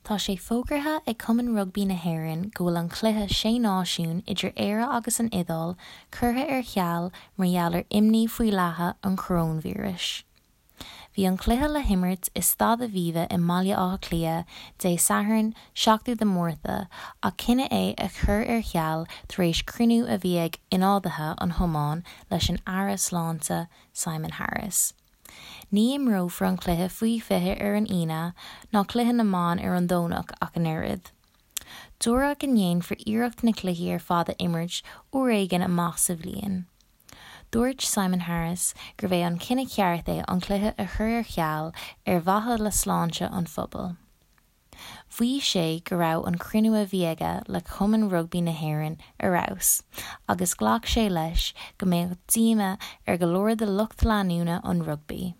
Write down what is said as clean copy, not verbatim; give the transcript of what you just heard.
Tá sé fógartha ag Cumann Rugbaí na hÉireann go bhfuil an cluiche Sé Náisiún idir Éire agus an Iodáil curtha ar ceal mar gheall ar imní faoi leathadh an choróinvíris. Bhí an cluiche le himirt i Staid Aviva i mBaile Átha Cliath Dé Sathairn 7ú de Mhárta ach cinneadh é a chur ar ceal tar éis cruinniú a bhí ag ionadaithe an chumainn leis an Aire Sláinte Simon Harris. Ní imreofar an cluiche faoi 20 ar an Aoine ná cluiche na mban ar an Domhnach ach an oiread. Dúradh go ndéanfar iarracht na cluichí ar fad a imirt uair éigin amach sa bhliain. Dúirt Simon Harris gurbh é an cinneadh ceart é an cluiche a chur ar ceal ar mhaithe le sláinte an phobail. Mhaígh sé go raibh an cruinniú a bhí aige le Cumann Rugbaí na hÉireann ar fheabhas agus ghlac sé leis go mbeadh díomá ar go leor de lucht leanúna an rugbaí.